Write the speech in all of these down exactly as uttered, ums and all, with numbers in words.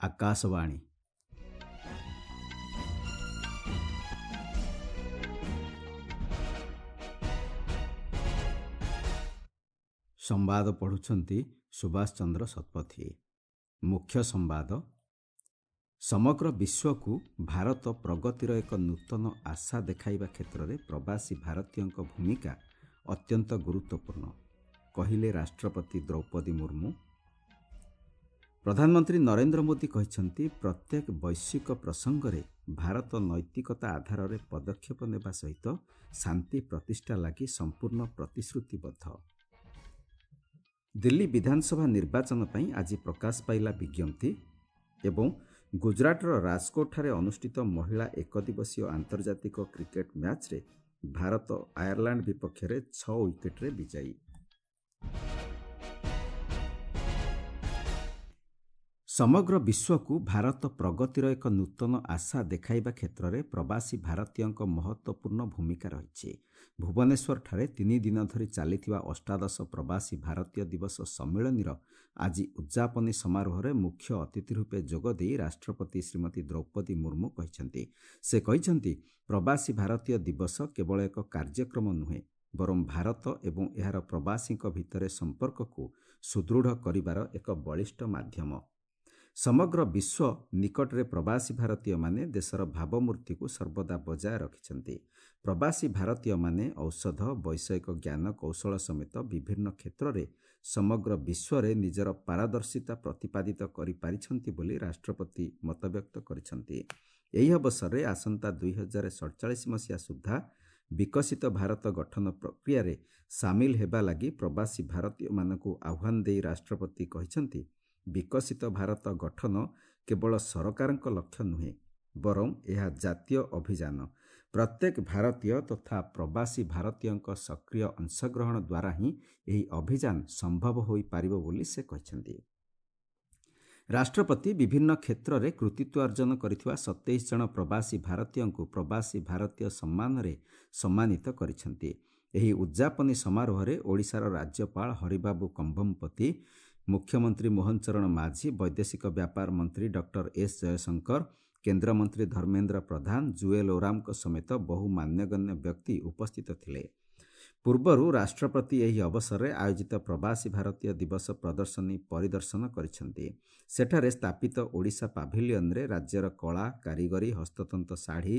ଆକାଶବାଣୀ। ସମ୍ବାଦ ପଢ଼ୁଛନ୍ତି ସୁଭାଷ ଚନ୍ଦ୍ର ଶତପଥୀ। ମୁଖ୍ୟ ସମ୍ବାଦ। ସମଗ୍ର ବିଶ୍ୱକୁ ଭାରତ ପ୍ରଗତିର ଏକ ନୂତନ ଆଶା ଦେଖାଇବା କ୍ଷେତ୍ରରେ ପ୍ରବାସୀ ଭାରତୀୟଙ୍କ ଭୂମିକା ଅତ୍ୟନ୍ତ ଗୁରୁତ୍ୱପୂର୍ଣ୍ଣ, କହିଲେ ରାଷ୍ଟ୍ରପତି ଦ୍ରୌପଦୀ ମୁର୍ମୁ। ପ୍ରଧାନମନ୍ତ୍ରୀ ନରେନ୍ଦ୍ର ମୋଦି କହିଛନ୍ତି, ପ୍ରତ୍ୟେକ ବୈଶ୍ୱିକ ପ୍ରସଙ୍ଗରେ ଭାରତ ନୈତିକତା ଆଧାରରେ ପଦକ୍ଷେପ ନେବା ସହିତ ଶାନ୍ତି ପ୍ରତିଷ୍ଠା ଲାଗି ସମ୍ପୂର୍ଣ୍ଣ ପ୍ରତିଶ୍ରୁତିବଦ୍ଧ। ଦିଲ୍ଲୀ ବିଧାନସଭା ନିର୍ବାଚନ ପାଇଁ ଆଜି ପ୍ରକାଶ ପାଇଲା ବିଜ୍ଞପ୍ତି ଏବଂ ଗୁଜରାଟର ରାଜକୋଟଠାରେ ଅନୁଷ୍ଠିତ ମହିଳା ଏକଦିବସୀୟ ଆନ୍ତର୍ଜାତିକ କ୍ରିକେଟ୍ ମ୍ୟାଚ୍ରେ ଭାରତ ଆୟାରଲାଣ୍ଡ ବିପକ୍ଷରେ ଛଅ ୱିକେଟ୍ରେ ବିଜୟୀ। ସମଗ୍ର ବିଶ୍ୱକୁ ଭାରତ ପ୍ରଗତିର ଏକ ନୂତନ ଆଶା ଦେଖାଇବା କ୍ଷେତ୍ରରେ ପ୍ରବାସୀ ଭାରତୀୟଙ୍କ ମହତ୍ତ୍ୱପୂର୍ଣ୍ଣ ଭୂମିକା ରହିଛି। ଭୁବନେଶ୍ୱରଠାରେ ତିନି ଦିନ ଧରି ଚାଲିଥିବା ଅଷ୍ଟାଦଶ ପ୍ରବାସୀ ଭାରତୀୟ ଦିବସ ସମ୍ମିଳନୀର ଆଜି ଉଦ୍ଯାପନୀ ସମାରୋହରେ ମୁଖ୍ୟ ଅତିଥି ରୂପେ ଯୋଗଦେଇ ରାଷ୍ଟ୍ରପତି ଶ୍ରୀମତୀ ଦ୍ରୌପଦୀ ମୁର୍ମୁ କହିଛନ୍ତି। ସେ କହିଛନ୍ତି, ପ୍ରବାସୀ ଭାରତୀୟ ଦିବସ କେବଳ ଏକ କାର୍ଯ୍ୟକ୍ରମ ନୁହେଁ, ବରଂ ଭାରତ ଏବଂ ଏହାର ପ୍ରବାସୀଙ୍କ ଭିତରେ ସମ୍ପର୍କକୁ ସୁଦୃଢ଼ କରିବାର ଏକ ବଳିଷ୍ଠ ମାଧ୍ୟମ। ସମଗ୍ର ବିଶ୍ୱ ନିକଟରେ ପ୍ରବାସୀ ଭାରତୀୟମାନେ ଦେଶର ଭାବମୂର୍ତ୍ତିକୁ ସର୍ବଦା ବଜାୟ ରଖିଛନ୍ତି। ପ୍ରବାସୀ ଭାରତୀୟମାନେ ଔଷଧ, ବୈଷୟିକ ଜ୍ଞାନ କୌଶଳ ସମେତ ବିଭିନ୍ନ କ୍ଷେତ୍ରରେ ସମଗ୍ର ବିଶ୍ୱରେ ନିଜର ପାରଦର୍ଶିତା ପ୍ରତିପାଦିତ କରିପାରିଛନ୍ତି ବୋଲି ରାଷ୍ଟ୍ରପତି ମତବ୍ୟକ୍ତ କରିଛନ୍ତି। ଏହି ଅବସରରେ ଆସନ୍ତା ଦୁଇ ହଜାର ସଡ଼ଚାଳିଶ ମସିହା ସୁଦ୍ଧା ବିକଶିତ ଭାରତ ଗଠନ ପ୍ରକ୍ରିୟାରେ ସାମିଲ ହେବା ଲାଗି ପ୍ରବାସୀ ଭାରତୀୟମାନଙ୍କୁ ଆହ୍ୱାନ ଦେଇ ରାଷ୍ଟ୍ରପତି କହିଛନ୍ତି, ବିକଶିତ ଭାରତ ଗଠନ କେବଳ ସରକାରଙ୍କ ଲକ୍ଷ୍ୟ ନୁହେଁ, ବରଂ ଏହା ଜାତୀୟ ଅଭିଯାନ। ପ୍ରତ୍ୟେକ ଭାରତୀୟ ତଥା ପ୍ରବାସୀ ଭାରତୀୟଙ୍କ ସକ୍ରିୟ ଅଂଶଗ୍ରହଣ ଦ୍ୱାରା ହିଁ ଏହି ଅଭିଯାନ ସମ୍ଭବ ହୋଇପାରିବ ବୋଲି ସେ କହିଛନ୍ତି। ରାଷ୍ଟ୍ରପତି ବିଭିନ୍ନ କ୍ଷେତ୍ରରେ କୃତିତ୍ୱ ଅର୍ଜନ କରିଥିବା ସତେଇଶ ଜଣ ପ୍ରବାସୀ ଭାରତୀୟଙ୍କୁ ପ୍ରବାସୀ ଭାରତୀୟ ସମ୍ମାନରେ ସମ୍ମାନିତ କରିଛନ୍ତି। ଏହି ଉଦ୍ଯାପନୀ ସମାରୋହରେ ଓଡ଼ିଶାର ରାଜ୍ୟପାଳ ହରିବାବୁ କମ୍ଭମପତି, ମୁଖ୍ୟମନ୍ତ୍ରୀ ମୋହନ ଚରଣ ମାଝୀ, ବୈଦେଶିକ ବ୍ୟାପାର ମନ୍ତ୍ରୀ ଡକ୍ଟର ଏସ୍ ଜୟଶଙ୍କର, କେନ୍ଦ୍ରମନ୍ତ୍ରୀ ଧର୍ମେନ୍ଦ୍ର ପ୍ରଧାନ, ଜୁଏଲ ଓରାମଙ୍କ ସମେତ ବହୁ ମାନ୍ୟଗଣ୍ୟ ବ୍ୟକ୍ତି ଉପସ୍ଥିତ ଥିଲେ। ପୂର୍ବରୁ ରାଷ୍ଟ୍ରପତି ଏହି ଅବସରରେ ଆୟୋଜିତ ପ୍ରବାସୀ ଭାରତୀୟ ଦିବସ ପ୍ରଦର୍ଶନୀ ପରିଦର୍ଶନ କରିଛନ୍ତି। ସେଠାରେ ସ୍ଥାପିତ ଓଡ଼ିଶା ପାଭିଲିୟନରେ ରାଜ୍ୟର କଳା, କାରିଗରୀ, ହସ୍ତତନ୍ତ ଶାଢ଼ୀ,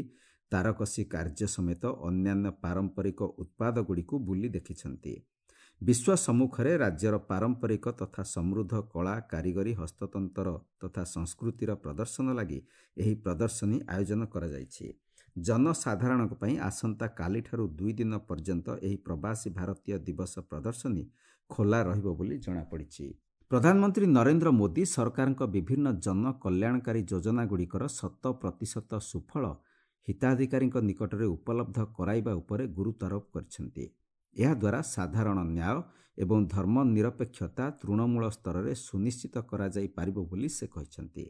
ତାରକସି କାର୍ଯ୍ୟ ସମେତ ଅନ୍ୟାନ୍ୟ ପାରମ୍ପରିକ ଉତ୍ପାଦଗୁଡ଼ିକୁ ବୁଲି ଦେଖିଛନ୍ତି। ବିଶ୍ୱ ସମ୍ମୁଖରେ ରାଜ୍ୟର ପାରମ୍ପରିକ ତଥା ସମୃଦ୍ଧ କଳା, କାରିଗରୀ, ହସ୍ତତନ୍ତର ତଥା ସଂସ୍କୃତିର ପ୍ରଦର୍ଶନ ଲାଗି ଏହି ପ୍ରଦର୍ଶନୀ ଆୟୋଜନ କରାଯାଇଛି। ଜନସାଧାରଣଙ୍କ ପାଇଁ ଆସନ୍ତାକାଲିଠାରୁ ଦୁଇ ଦିନ ପର୍ଯ୍ୟନ୍ତ ଏହି ପ୍ରବାସୀ ଭାରତୀୟ ଦିବସ ପ୍ରଦର୍ଶନୀ ଖୋଲା ରହିବ ବୋଲି ଜଣାପଡ଼ିଛି। ପ୍ରଧାନମନ୍ତ୍ରୀ ନରେନ୍ଦ୍ର ମୋଦି ସରକାରଙ୍କ ବିଭିନ୍ନ ଜନକଲ୍ୟାଣକାରୀ ଯୋଜନାଗୁଡ଼ିକର ଶତ ପ୍ରତିଶତ ସୁଫଳ ହିତାଧିକାରୀଙ୍କ ନିକଟରେ ଉପଲବ୍ଧ କରାଇବା ଉପରେ ଗୁରୁତ୍ୱାରୋପ କରିଛନ୍ତି। ଏହାଦ୍ୱାରା ସାଧାରଣ ନ୍ୟାୟ ଏବଂ ଧର୍ମନିରପେକ୍ଷତା ତୃଣମୂଳ ସ୍ତରରେ ସୁନିଶ୍ଚିତ କରାଯାଇପାରିବ ବୋଲି ସେ କହିଛନ୍ତି।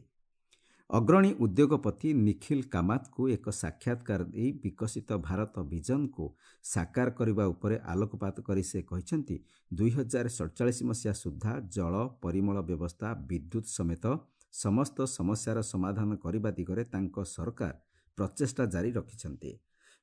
ଅଗ୍ରଣୀ ଉଦ୍ୟୋଗପତି ନିଖିଲ କାମାତଙ୍କୁ ଏକ ସାକ୍ଷାତକାର ଦେଇ ବିକଶିତ ଭାରତ ଭିଜନକୁ ସାକାର କରିବା ଉପରେ ଆଲୋକପାତ କରି ସେ କହିଛନ୍ତି, ଦୁଇ ହଜାର ସଡ଼ଚାଳିଶ ମସିହା ସୁଦ୍ଧା ଜଳ, ପରିମଳ ବ୍ୟବସ୍ଥା, ବିଦ୍ୟୁତ୍ ସମେତ ସମସ୍ତ ସମସ୍ୟାର ସମାଧାନ କରିବା ଦିଗରେ ତାଙ୍କ ସରକାର ପ୍ରଚେଷ୍ଟା ଜାରି ରଖିଛନ୍ତି।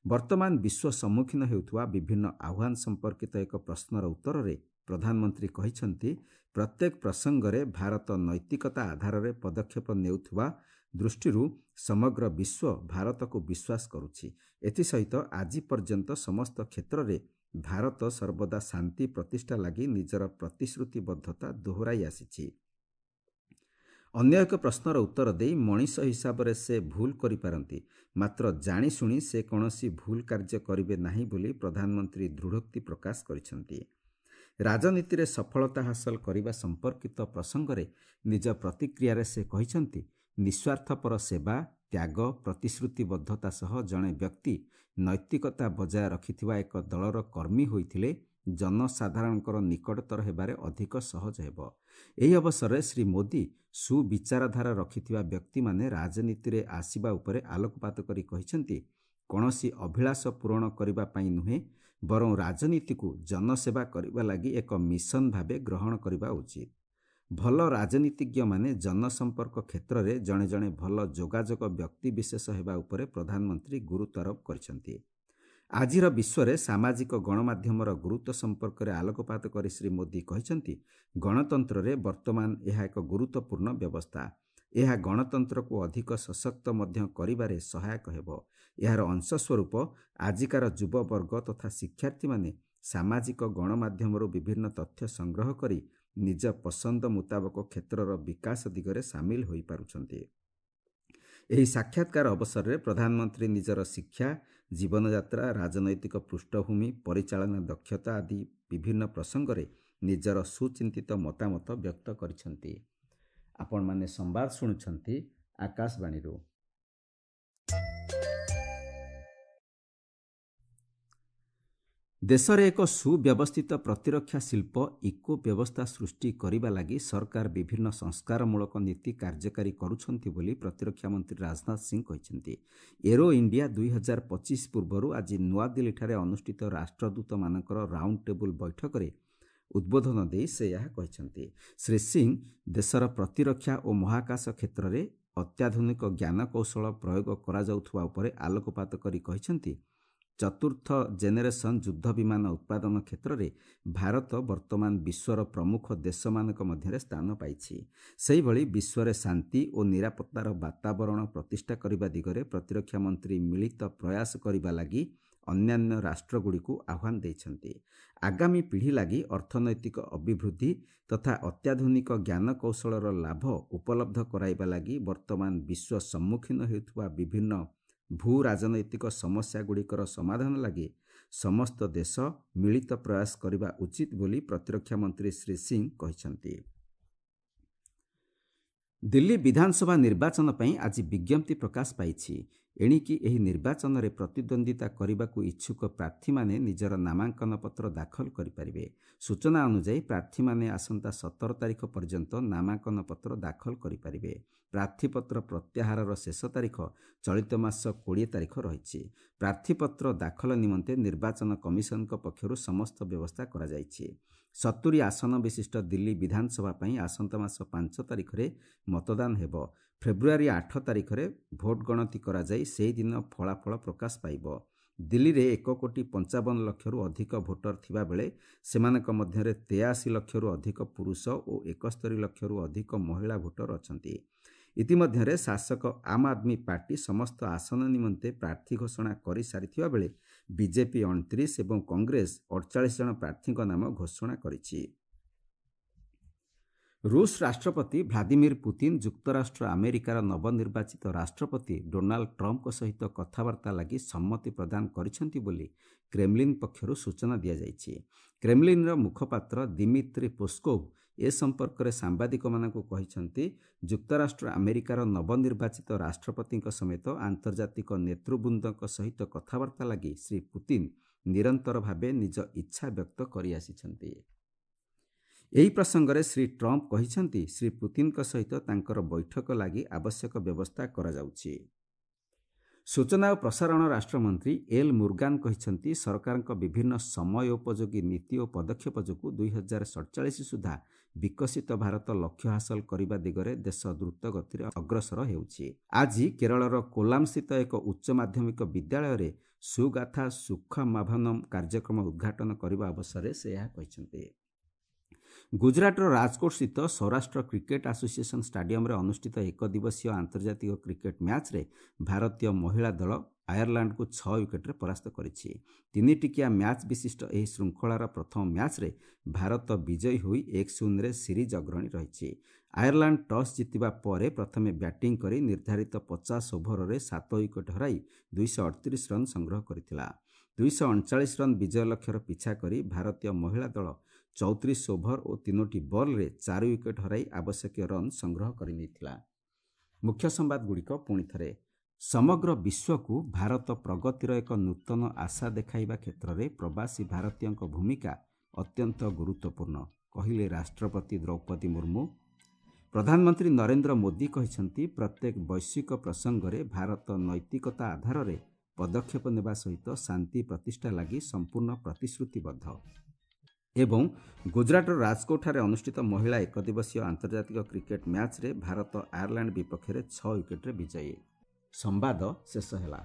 ବର୍ତ୍ତମାନ ବିଶ୍ୱ ସମ୍ମୁଖୀନ ହେଉଥିବା ବିଭିନ୍ନ ଆହ୍ୱାନ ସମ୍ପର୍କିତ ଏକ ପ୍ରଶ୍ନର ଉତ୍ତରରେ ପ୍ରଧାନମନ୍ତ୍ରୀ କହିଛନ୍ତି, ପ୍ରତ୍ୟେକ ପ୍ରସଙ୍ଗରେ ଭାରତ ନୈତିକତା ଆଧାରରେ ପଦକ୍ଷେପ ନେଉଥିବା ଦୃଷ୍ଟିରୁ ସମଗ୍ର ବିଶ୍ୱ ଭାରତକୁ ବିଶ୍ୱାସ କରୁଛି। ଏଥିସହିତ ଆଜି ପର୍ଯ୍ୟନ୍ତ ସମସ୍ତ କ୍ଷେତ୍ରରେ ଭାରତ ସର୍ବଦା ଶାନ୍ତି ପ୍ରତିଷ୍ଠା ଲାଗି ନିଜର ପ୍ରତିଶ୍ରୁତିବଦ୍ଧତା ଦୋହରାଇ ଆସିଛି। ଅନ୍ୟ ଏକ ପ୍ରଶ୍ନର ଉତ୍ତର ଦେଇ ମଣିଷ ହିସାବରେ ସେ ଭୁଲ କରିପାରନ୍ତି, ମାତ୍ର ଜାଣିଶୁଣି ସେ କୌଣସି ଭୁଲ କାର୍ଯ୍ୟ କରିବେ ନାହିଁ ବୋଲି ପ୍ରଧାନମନ୍ତ୍ରୀ ଦୃଢ଼ୋକ୍ତି ପ୍ରକାଶ କରିଛନ୍ତି। ରାଜନୀତିରେ ସଫଳତା ହାସଲ କରିବା ସମ୍ପର୍କିତ ପ୍ରସଙ୍ଗରେ ନିଜ ପ୍ରତିକ୍ରିୟାରେ ସେ କହିଛନ୍ତି, ନିଃସ୍ୱାର୍ଥପର ସେବା, ତ୍ୟାଗ, ପ୍ରତିଶ୍ରୁତିବଦ୍ଧତା ସହ ଜଣେ ବ୍ୟକ୍ତି ନୈତିକତା ବଜାୟ ରଖିଥିବା ଏକ ଦଳର କର୍ମୀ ହୋଇଥିଲେ ଜନସାଧାରଣଙ୍କର ନିକଟତର ହେବାରେ ଅଧିକ ସହଜ ହେବ। ଏହି ଅବସରରେ ଶ୍ରୀ ମୋଦି ସୁବିଚାରଧାରା ରଖିଥିବା ବ୍ୟକ୍ତିମାନେ ରାଜନୀତିରେ ଆସିବା ଉପରେ ଆଲୋକପାତ କରି କହିଛନ୍ତି, କୌଣସି ଅଭିଳାଷ ପୂରଣ କରିବା ପାଇଁ ନୁହେଁ, ବରଂ ରାଜନୀତିକୁ ଜନସେବା କରିବା ଲାଗି ଏକ ମିଶନ ଭାବେ ଗ୍ରହଣ କରିବା ଉଚିତ। ଭଲ ରାଜନୀତିଜ୍ଞମାନେ ଜନସମ୍ପର୍କ କ୍ଷେତ୍ରରେ ଜଣେ ଜଣେ ଭଲ ଯୋଗାଯୋଗ ବ୍ୟକ୍ତିବିଶେଷ ହେବା ଉପରେ ପ୍ରଧାନମନ୍ତ୍ରୀ ଗୁରୁତ୍ୱାରୋପ କରିଛନ୍ତି। ଆଜିର ବିଶ୍ୱରେ ସାମାଜିକ ଗଣମାଧ୍ୟମର ଗୁରୁତ୍ୱ ସମ୍ପର୍କରେ ଆଲୋକପାତ କରି ଶ୍ରୀ ମୋଦି କହିଛନ୍ତି, ଗଣତନ୍ତ୍ରରେ ବର୍ତ୍ତମାନ ଏହା ଏକ ଗୁରୁତ୍ୱପୂର୍ଣ୍ଣ ବ୍ୟବସ୍ଥା। ଏହା ଗଣତନ୍ତ୍ରକୁ ଅଧିକ ସଶକ୍ତ ମଧ୍ୟ କରିବାରେ ସହାୟକ ହେବ। ଏହାର ଅଂଶସ୍ୱରୂପ ଆଜିକାର ଯୁବବର୍ଗ ତଥା ଶିକ୍ଷାର୍ଥୀମାନେ ସାମାଜିକ ଗଣମାଧ୍ୟମରୁ ବିଭିନ୍ନ ତଥ୍ୟ ସଂଗ୍ରହ କରି ନିଜ ପସନ୍ଦ ମୁତାବକ କ୍ଷେତ୍ରର ବିକାଶ ଦିଗରେ ସାମିଲ ହୋଇପାରୁଛନ୍ତି। ଏହି ସାକ୍ଷାତକାର ଅବସରରେ ପ୍ରଧାନମନ୍ତ୍ରୀ ନିଜର ଶିକ୍ଷା, ଜୀବନଯାତ୍ରା, ରାଜନୈତିକ ପୃଷ୍ଠଭୂମି, ପରିଚାଳନା ଦକ୍ଷତା ଆଦି ବିଭିନ୍ନ ପ୍ରସଙ୍ଗରେ ନିଜର ସୁଚିନ୍ତିତ ମତାମତ ବ୍ୟକ୍ତ କରିଛନ୍ତି। ଆପଣମାନେ ସମ୍ବାଦ ଶୁଣୁଛନ୍ତି ଆକାଶବାଣୀରୁ। ଦେଶରେ ଏକ ସୁବ୍ୟବସ୍ଥିତ ପ୍ରତିରକ୍ଷା ଶିଳ୍ପ ଇକୋ ବ୍ୟବସ୍ଥା ସୃଷ୍ଟି କରିବା ଲାଗି ସରକାର ବିଭିନ୍ନ ସଂସ୍କାରମୂଳକ ନୀତି କାର୍ଯ୍ୟକାରୀ କରୁଛନ୍ତି ବୋଲି ପ୍ରତିରକ୍ଷା ମନ୍ତ୍ରୀ ରାଜନାଥ ସିଂ କହିଛନ୍ତି। ଏରୋ ଇଣ୍ଡିଆ ଦୁଇ ହଜାର ପଚିଶ ପୂର୍ବରୁ ଆଜି ନୂଆଦିଲ୍ଲୀଠାରେ ଅନୁଷ୍ଠିତ ରାଷ୍ଟ୍ରଦୂତମାନଙ୍କର ରାଉଣ୍ଡ ଟେବୁଲ୍ ବୈଠକରେ ଉଦ୍ବୋଧନ ଦେଇ ସେ ଏହା କହିଛନ୍ତି। ଶ୍ରୀ ସିଂ ଦେଶର ପ୍ରତିରକ୍ଷା ଓ ମହାକାଶ କ୍ଷେତ୍ରରେ ଅତ୍ୟାଧୁନିକ ଜ୍ଞାନକୌଶଳ ପ୍ରୟୋଗ କରାଯାଉଥିବା ଉପରେ ଆଲୋକପାତ କରି କହିଛନ୍ତି, ଚତୁର୍ଥ ଜେନେରେସନ୍ ଯୁଦ୍ଧ ବିମାନ ଉତ୍ପାଦନ କ୍ଷେତ୍ରରେ ଭାରତ ବର୍ତ୍ତମାନ ବିଶ୍ୱର ପ୍ରମୁଖ ଦେଶମାନଙ୍କ ମଧ୍ୟରେ ସ୍ଥାନ ପାଇଛି। ସେହିଭଳି ବିଶ୍ୱରେ ଶାନ୍ତି ଓ ନିରାପତ୍ତାର ବାତାବରଣ ପ୍ରତିଷ୍ଠା କରିବା ଦିଗରେ ପ୍ରତିରକ୍ଷା ମନ୍ତ୍ରୀ ମିଳିତ ପ୍ରୟାସ କରିବା ଲାଗି ଅନ୍ୟାନ୍ୟ ରାଷ୍ଟ୍ରଗୁଡ଼ିକୁ ଆହ୍ୱାନ ଦେଇଛନ୍ତି। ଆଗାମୀ ପିଢ଼ି ଲାଗି ଅର୍ଥନୈତିକ ଅଭିବୃଦ୍ଧି ତଥା ଅତ୍ୟାଧୁନିକ ଜ୍ଞାନକୌଶଳର ଲାଭ ଉପଲବ୍ଧ କରାଇବା ଲାଗି ବର୍ତ୍ତମାନ ବିଶ୍ୱ ସମ୍ମୁଖୀନ ହେଉଥିବା ବିଭିନ୍ନ ଭୂ ରାଜନୈତିକ ସମସ୍ୟାଗୁଡ଼ିକର ସମାଧାନ ଲାଗି ସମସ୍ତ ଦେଶ ମିଳିତ ପ୍ରୟାସ କରିବା ଉଚିତ ବୋଲି ପ୍ରତିରକ୍ଷା ମନ୍ତ୍ରୀ ଶ୍ରୀ ସିଂ କହିଛନ୍ତି। ଦିଲ୍ଲୀ ବିଧାନସଭା ନିର୍ବାଚନ ପାଇଁ ଆଜି ବିଜ୍ଞପ୍ତି ପ୍ରକାଶ ପାଇଛି। ଏଣିକି ଏହି ନିର୍ବାଚନରେ ପ୍ରତିଦ୍ୱନ୍ଦ୍ୱିତା କରିବାକୁ ଇଚ୍ଛୁକ ପ୍ରାର୍ଥୀମାନେ ନିଜର ନାମାଙ୍କନ ପତ୍ର ଦାଖଲ କରିପାରିବେ। ସୂଚନା ଅନୁଯାୟୀ ପ୍ରାର୍ଥୀମାନେ ଆସନ୍ତା ସତର ତାରିଖ ପର୍ଯ୍ୟନ୍ତ ନାମାଙ୍କନ ପତ୍ର ଦାଖଲ କରିପାରିବେ। ପ୍ରାର୍ଥୀପତ୍ର ପ୍ରତ୍ୟାହାରର ଶେଷ ତାରିଖ ଚଳିତ ମାସ କୋଡ଼ିଏ ତାରିଖ ରହିଛି। ପ୍ରାର୍ଥୀପତ୍ର ଦାଖଲ ନିମନ୍ତେ ନିର୍ବାଚନ କମିଶନଙ୍କ ପକ୍ଷରୁ ସମସ୍ତ ବ୍ୟବସ୍ଥା କରାଯାଇଛି। ସତୁରି ଆସନ ବିଶିଷ୍ଟ ଦିଲ୍ଲୀ ବିଧାନସଭା ପାଇଁ ଆସନ୍ତା ମାସ ପାଞ୍ଚ ତାରିଖରେ ମତଦାନ ହେବ। ଫେବୃଆରୀ ଆଠ ତାରିଖରେ ଭୋଟ ଗଣତି କରାଯାଇ ସେହିଦିନ ଫଳାଫଳ ପ୍ରକାଶ ପାଇବ। ଦିଲ୍ଲୀରେ ଏକ କୋଟି ପଞ୍ଚାବନ ଲକ୍ଷରୁ ଅଧିକ ଭୋଟର ଥିବାବେଳେ ସେମାନଙ୍କ ମଧ୍ୟରେ ତେୟାଅଶୀ ଲକ୍ଷରୁ ଅଧିକ ପୁରୁଷ ଓ ଏକସ୍ତରୀ ଲକ୍ଷରୁ ଅଧିକ ମହିଳା ଭୋଟର ଅଛନ୍ତି। ଇତିମଧ୍ୟରେ ଶାସକ ଆମ୍ ଆଦମୀ ପାର୍ଟି ସମସ୍ତ ଆସନ ନିମନ୍ତେ ପ୍ରାର୍ଥୀ ଘୋଷଣା କରିସାରିଥିବା ବେଳେ ବିଜେପି ଅଣତିରିଶ ଏବଂ କଂଗ୍ରେସ ଅଡ଼ଚାଳିଶ ଜଣ ପ୍ରାର୍ଥୀଙ୍କ ନାମ ଘୋଷଣା କରିଛି। ରୁଷ ରାଷ୍ଟ୍ରପତି ଭ୍ଲାଦିମିର ପୁତିନ ଯୁକ୍ତରାଷ୍ଟ୍ର ଆମେରିକାର ନବନିର୍ବାଚିତ ରାଷ୍ଟ୍ରପତି ଡୋନାଲ୍ଡ ଟ୍ରମ୍ପଙ୍କ ସହିତ କଥାବାର୍ତ୍ତା ଲାଗି ସମ୍ମତି ପ୍ରଦାନ କରିଛନ୍ତି ବୋଲି କ୍ରେମଲିନ୍ ପକ୍ଷରୁ ସୂଚନା ଦିଆଯାଇଛି। କ୍ରେମଲିନ୍ର ମୁଖପାତ୍ର ଦିମିତ୍ରି ପୋସ୍କୋଭ ଏ ସମ୍ପର୍କରେ ସାମ୍ବାଦିକମାନଙ୍କୁ କହିଛନ୍ତି, ଯୁକ୍ତରାଷ୍ଟ୍ର ଆମେରିକାର ନବନିର୍ବାଚିତ ରାଷ୍ଟ୍ରପତିଙ୍କ ସମେତ ଆନ୍ତର୍ଜାତିକ ନେତୃବୃନ୍ଦଙ୍କ ସହିତ କଥାବାର୍ତ୍ତା ଲାଗି ଶ୍ରୀ ପୁତିନ ନିରନ୍ତର ଭାବେ ନିଜ ଇଚ୍ଛା ବ୍ୟକ୍ତ କରିଆସିଛନ୍ତି। ଏହି ପ୍ରସଙ୍ଗରେ ଶ୍ରୀ ଟ୍ରମ୍ପ କହିଛନ୍ତି, ଶ୍ରୀ ପୁତିନଙ୍କ ସହିତ ତାଙ୍କର ବୈଠକ ଲାଗି ଆବଶ୍ୟକ ବ୍ୟବସ୍ଥା କରାଯାଉଛି। ସୂଚନା ଓ ପ୍ରସାରଣ ରାଷ୍ଟ୍ରମନ୍ତ୍ରୀ ଏଲ୍ ମୁର୍ଗାନ କହିଛନ୍ତି, ସରକାରଙ୍କ ବିଭିନ୍ନ ସମୟୋପଯୋଗୀ ନୀତି ଓ ପଦକ୍ଷେପ ଯୋଗୁଁ ଦୁଇ ହଜାର ସଡ଼ଚାଳିଶ ସୁଦ୍ଧା ବିକଶିତ ଭାରତ ଲକ୍ଷ୍ୟ ହାସଲ କରିବା ଦିଗରେ ଦେଶ ଦ୍ରୁତ ଗତିରେ ଅଗ୍ରସର ହେଉଛି। ଆଜି କେରଳର କୋଲାମସ୍ଥିତ ଏକ ଉଚ୍ଚ ମାଧ୍ୟମିକ ବିଦ୍ୟାଳୟରେ ସୁଗାଥା ସୁଖମାଭନମ୍ କାର୍ଯ୍ୟକ୍ରମ ଉଦ୍ଘାଟନ କରିବା ଅବସରରେ ସେ ଏହା କହିଛନ୍ତି। ଗୁଜରାଟର ରାଜକୋଟସ୍ଥିତ ସୌରାଷ୍ଟ୍ର କ୍ରିକେଟ୍ ଆସୋସିଏସନ୍ ଷ୍ଟାଡିୟମରେ ଅନୁଷ୍ଠିତ ଏକଦିବସୀୟ ଆନ୍ତର୍ଜାତିକ କ୍ରିକେଟ୍ ମ୍ୟାଚ୍ରେ ଭାରତୀୟ ମହିଳା ଦଳ ଆୟାରଲାଣ୍ଡକୁ ଛଅ ୱିକେଟ୍ରେ ପରାସ୍ତ କରିଛି। ତିନିଟିକିଆ ମ୍ୟାଚ୍ ବିଶିଷ୍ଟ ଏହି ଶୃଙ୍ଖଳାର ପ୍ରଥମ ମ୍ୟାଚ୍ରେ ଭାରତ ବିଜୟୀ ହୋଇ ଏକ ଶୂନରେ ସିରିଜ୍ ଅଗ୍ରଣୀ ରହିଛି। ଆୟାରଲାଣ୍ଡ ଟସ୍ ଜିତିବା ପରେ ପ୍ରଥମେ ବ୍ୟାଟିଂ କରି ନିର୍ଦ୍ଧାରିତ ପଚାଶ ଓଭରରେ ସାତ ୱିକେଟ୍ ହରାଇ ଦୁଇଶହ ଅଠତିରିଶ ରନ୍ ସଂଗ୍ରହ କରିଥିଲା। ଦୁଇଶହ ଅଣଚାଳିଶ ରନ୍ ବିଜୟ ଲକ୍ଷ୍ୟର ପିଛା କରି ଭାରତୀୟ ମହିଳା ଦଳ ଚଉତିରିଶ ଓଭର ଓ ତିନୋଟି ବଲ୍ରେ ଚାରି ୱିକେଟ୍ ହରାଇ ଆବଶ୍ୟକୀୟ ରନ୍ ସଂଗ୍ରହ କରିନେଇଥିଲା। ମୁଖ୍ୟ ସମ୍ବାଦଗୁଡ଼ିକ ପୁଣି ଥରେ। ସମଗ୍ର ବିଶ୍ୱକୁ ଭାରତ ପ୍ରଗତିର ଏକ ନୂତନ ଆଶା ଦେଖାଇବା କ୍ଷେତ୍ରରେ ପ୍ରବାସୀ ଭାରତୀୟଙ୍କ ଭୂମିକା ଅତ୍ୟନ୍ତ ଗୁରୁତ୍ୱପୂର୍ଣ୍ଣ, କହିଲେ ରାଷ୍ଟ୍ରପତି ଦ୍ରୌପଦୀ ମୁର୍ମୁ। ପ୍ରଧାନମନ୍ତ୍ରୀ ନରେନ୍ଦ୍ର ମୋଦି କହିଛନ୍ତି, ପ୍ରତ୍ୟେକ ବୈଶ୍ୱିକ ପ୍ରସଙ୍ଗରେ ଭାରତ ନୈତିକତା ଆଧାରରେ ପଦକ୍ଷେପ ନେବା ସହିତ ଶାନ୍ତି ପ୍ରତିଷ୍ଠା ଲାଗି ସମ୍ପୂର୍ଣ୍ଣ ପ୍ରତିଶ୍ରୁତିବଦ୍ଧ। ଏବଂ ଗୁଜରାଟର ରାଜକୋଟଠାରେ ଅନୁଷ୍ଠିତ ମହିଳା ଏକଦିବସୀୟ ଆନ୍ତର୍ଜାତିକ କ୍ରିକେଟ୍ ମ୍ୟାଚ୍ରେ ଭାରତ ଆୟାରଲାଣ୍ଡ ବିପକ୍ଷରେ ଛଅ ୱିକେଟ୍ରେ ବିଜୟୀ। ସମ୍ବାଦ ଶେଷ ହେଲା।